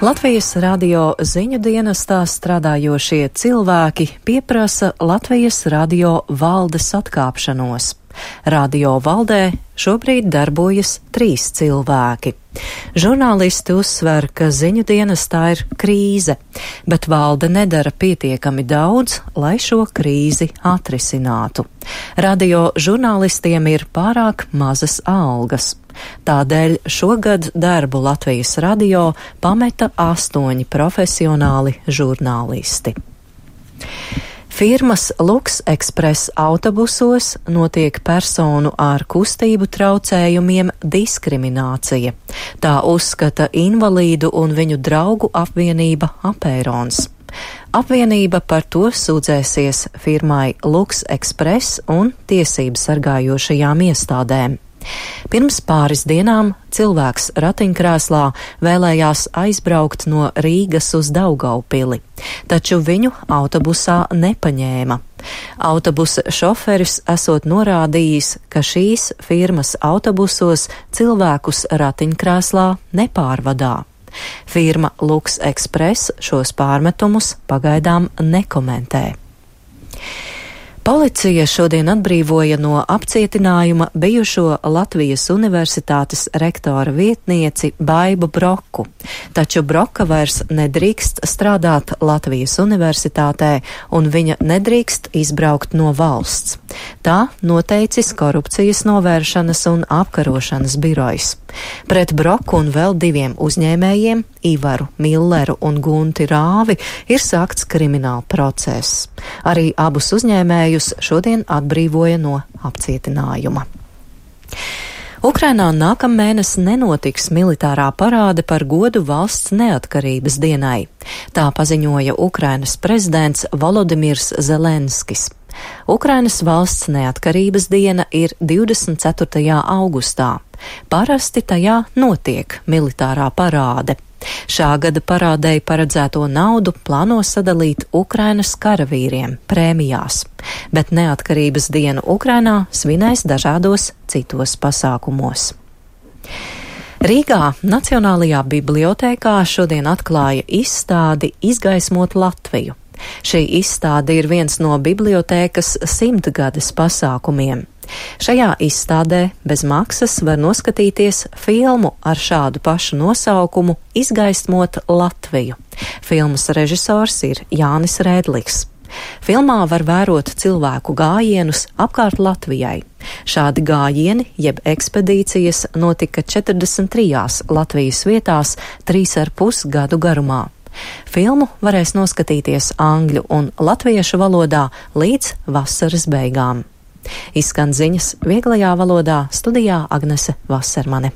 Latvijas radio ziņu dienestā strādājošie cilvēki pieprasa Latvijas radio valdes atkāpšanos. Radio valdē šobrīd darbojas 3 cilvēki. Žurnālisti uzsver, ka ziņu dienestā ir krīze, bet valde nedara pietiekami daudz, lai šo krīzi atrisinātu. Radio žurnālistiem ir pārāk mazas algas. Tādēļ šogad darbu Latvijas radio pameta 8 profesionāli žurnālisti. Firmas Lux Express autobusos notiek personu ar kustību traucējumiem diskriminācija. Tā uzskata invalīdu un viņu draugu apvienība Apērons. Apvienība par to sūdzēsies firmai Lux Express un tiesību sargājošajām iestādēm. Pirms pāris dienām cilvēks ratiņkrēslā vēlējās aizbraukt no Rīgas uz Daugaupili, taču viņu autobusā nepaņēma. Autobusa šoferis esot norādījis, ka šīs firmas autobusos cilvēkus ratiņkrēslā nepārvadā. Firma Lux Express šos pārmetumus pagaidām nekomentē. Policija šodien atbrīvoja no apcietinājuma bijušo Latvijas Universitātes rektora vietnieci Baibu Broku, taču Broka vairs nedrīkst strādāt Latvijas Universitātē un viņa nedrīkst izbraukt no valsts. Tā noteicis Korupcijas novēršanas un apkarošanas birojs. Pret Broku un vēl 2 uzņēmējiem, Ivaru Milleru un Gunti Rāvi, ir sākts krimināla process. Arī abus uzņēmējus šodien atbrīvoja no apcietinājuma. Ukrainā nākamēnes nenotiks militārā parāde par godu valsts neatkarības dienai. Tā paziņoja Ukrainas prezidents Volodimirs Zelenskis. Ukrainas valsts neatkarības diena ir 24. augustā. Parasti tajā notiek militārā parāde. Šā gada parādei paredzēto naudu plāno sadalīt Ukrainas karavīriem prēmijās, bet neatkarības dienu Ukrainā svinēs dažādos citos pasākumos. Rīgā Nacionālajā bibliotēkā šodien atklāja izstādi Izgaismot Latviju. Šī izstāde ir viens no bibliotēkas 100-gades pasākumiem. Šajā izstādē bez maksas var noskatīties filmu ar šādu pašu nosaukumu Izgaismot Latviju. Filmas režisors ir Jānis Rēdliks. Filmā var vērot cilvēku gājienus apkārt Latvijai. Šādi gājieni, jeb ekspedīcijas, notika 43 Latvijas vietās 3,5 gadu garumā. Filmu varēs noskatīties angļu un latviešu valodā līdz vasaras beigām. Izskan ziņas vieglajā valodā, studijā Agnese Vasermane.